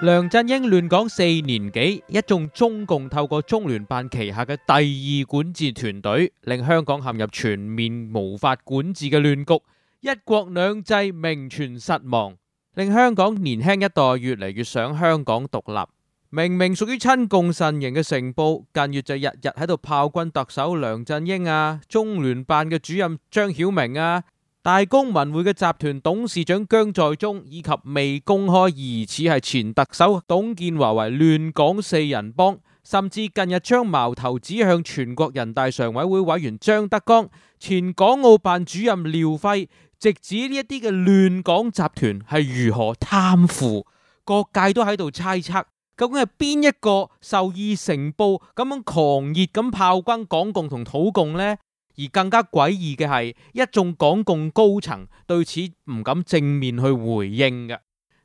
梁振英亂港4年幾，一眾中共透過中聯辦旗下嘅第二管治團隊，令香港陷入全面無法管治嘅亂局，一國兩制名存實亡，令香港年輕一代越嚟越想香港獨立。明明屬於親共陣營嘅成報，近月就日日喺度炮轟特首梁振英啊，中聯辦嘅主任張曉明啊，大公文匯嘅集團董事長姜在忠，以及未公開疑似係前特首董建華為亂港四人幫，甚至近日將矛頭指向全國人大常委會委員張德江、前港澳辦主任廖輝，直指呢一啲嘅亂港集團係如何貪腐，各界都喺度猜測，究竟係邊一個受意成報咁樣狂熱咁炮轟港共同土共呢？而更加詭異嘅係，一眾港共高層對此唔敢正面去回應嘅。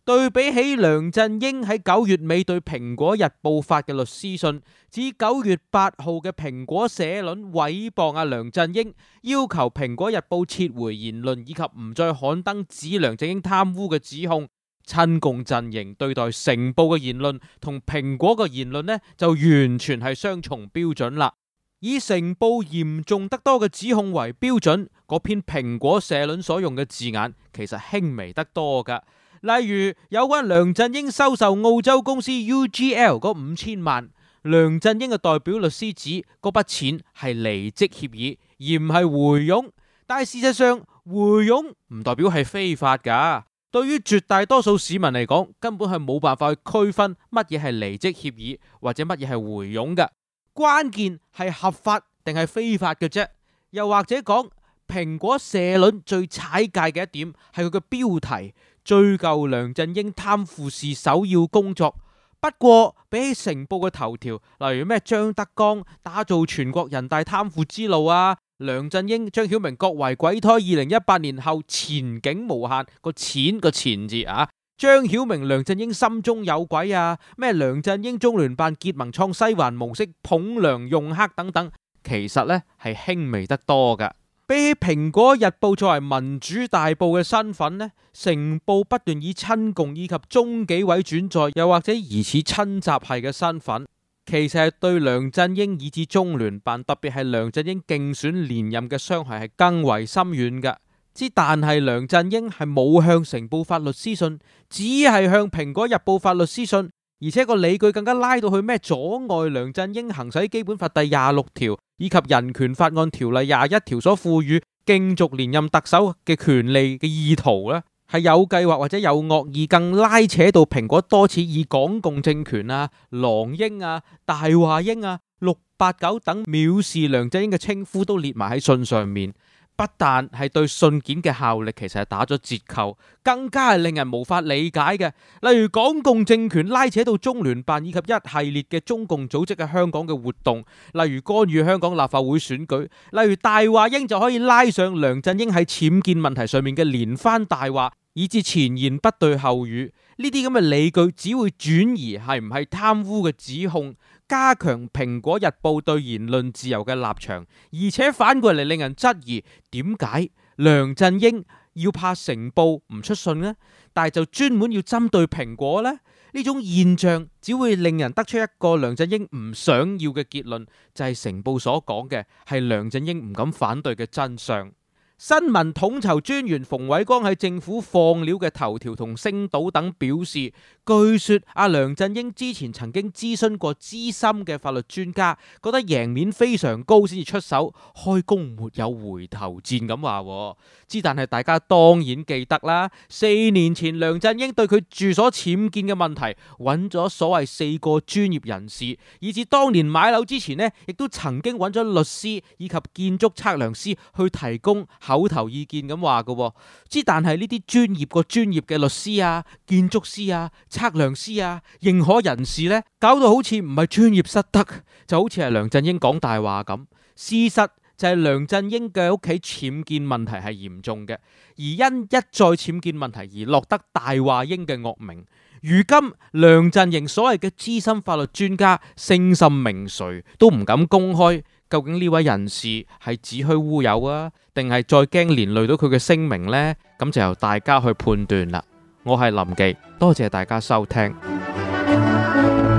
對比起梁振英喺9月尾對蘋果日報發嘅律師信，指9月8號嘅蘋果社論誹謗阿梁振英，要求蘋果日報撤回言論以及唔再刊登指梁振英貪污嘅指控。親共陣營對待成報嘅言論同蘋果嘅言論呢，就完全係雙重標準啦。以成報嚴重得多嘅指控為標準，嗰篇蘋果社論所用嘅字眼其實輕微得多噶。例如有關梁振英收受澳洲公司 UGL 嗰5000萬，梁振英嘅代表律師指嗰筆錢係離職協議，而唔係回佣。但係事實上，回佣唔代表係非法噶。對於絕大多數市民嚟講，根本係冇辦法去區分乜嘢係離職協議或者乜嘢係回佣嘅。關鍵係合法定係非法嘅啫。又或者講，蘋果社論最踩界嘅一點係佢嘅標題，追究梁振英貪腐是首要工作。不過比起成報嘅頭條，例如咩張德江打造全國人大貪腐之路啊，梁振英、張曉明各為鬼胎，2018年後前景無限，個錢個錢字啊，張曉明梁振英心中有鬼啊，咩梁振英中聯辦結盟創西環模式捧梁用黑等等，其實呢係輕微得多噶。比起蘋果日報作為民主大報嘅身份呢，成報不斷以親共以及中紀委轉載又或者疑似親習系嘅身份，其實係對梁振英以至中聯辦，特別係梁振英競選連任嘅傷害係更為深遠嘅。但係梁振英係冇向成報發律師信，只係向蘋果日報發律師信，而且個理據更加拉到去咩阻礙梁振英行使基本法第26條以及人權法案條例21條所賦予競逐連任特首嘅權利嘅意圖呢，係有計劃或者有惡意，更拉扯到蘋果多次以港共政權啊、狼鷹啊、大話鷹啊、689等藐視梁振英嘅稱呼都列埋喺信上面。不但係對信件嘅效力其實係打咗折扣，更加係令人無法理解嘅。例如港共政權拉扯到中聯辦以及一系列嘅中共組織喺香港嘅活動，例如干預香港立法會選舉，例如大話鷹就可以拉上梁振英喺僭建問題上面嘅連番大話，以至前言不對後語。呢啲咁嘅理據只會轉移係唔係貪污嘅指控，加強蘋果日報對言論自由嘅立場，而且反過嚟令人質疑點解梁振英要怕成報唔出信呢？但係就專門要針對蘋果呢？呢種現象只會令人得出一個梁振英唔想要嘅結論，就係成報所講嘅係梁振英唔敢反對嘅真相。新聞統籌專員馮偉光喺政府放料嘅頭條同星島等表示，據說阿梁振英之前曾經諮詢過資深嘅法律專家，覺得贏面非常高先至出手，開弓沒有回頭箭咁話。但係大家當然記得啦，4年前梁振英對佢住所僭建嘅問題揾咗所謂4個專業人士，以至當年買樓之前呢，亦都曾經揾咗律師以及建築測量師去提供口頭意見咁話嘅。但係呢啲專業嘅律師啊、建築師啊、測量師啊、認可人士呢，搞到好似唔係專業失德，就好似係梁振英講大話咁。事實就係梁振英嘅屋企僭建問題係嚴重嘅，而因一再僭建問題而落得大話鷹嘅惡名。如今梁陣營所謂嘅資深法律專家聲甚名誰都唔敢公開，究竟呢位人士係子虛烏有啊，定係再驚連累到佢嘅聲名呢？咁就由大家去判斷啦。我係林忌，多謝大家收聽。拜。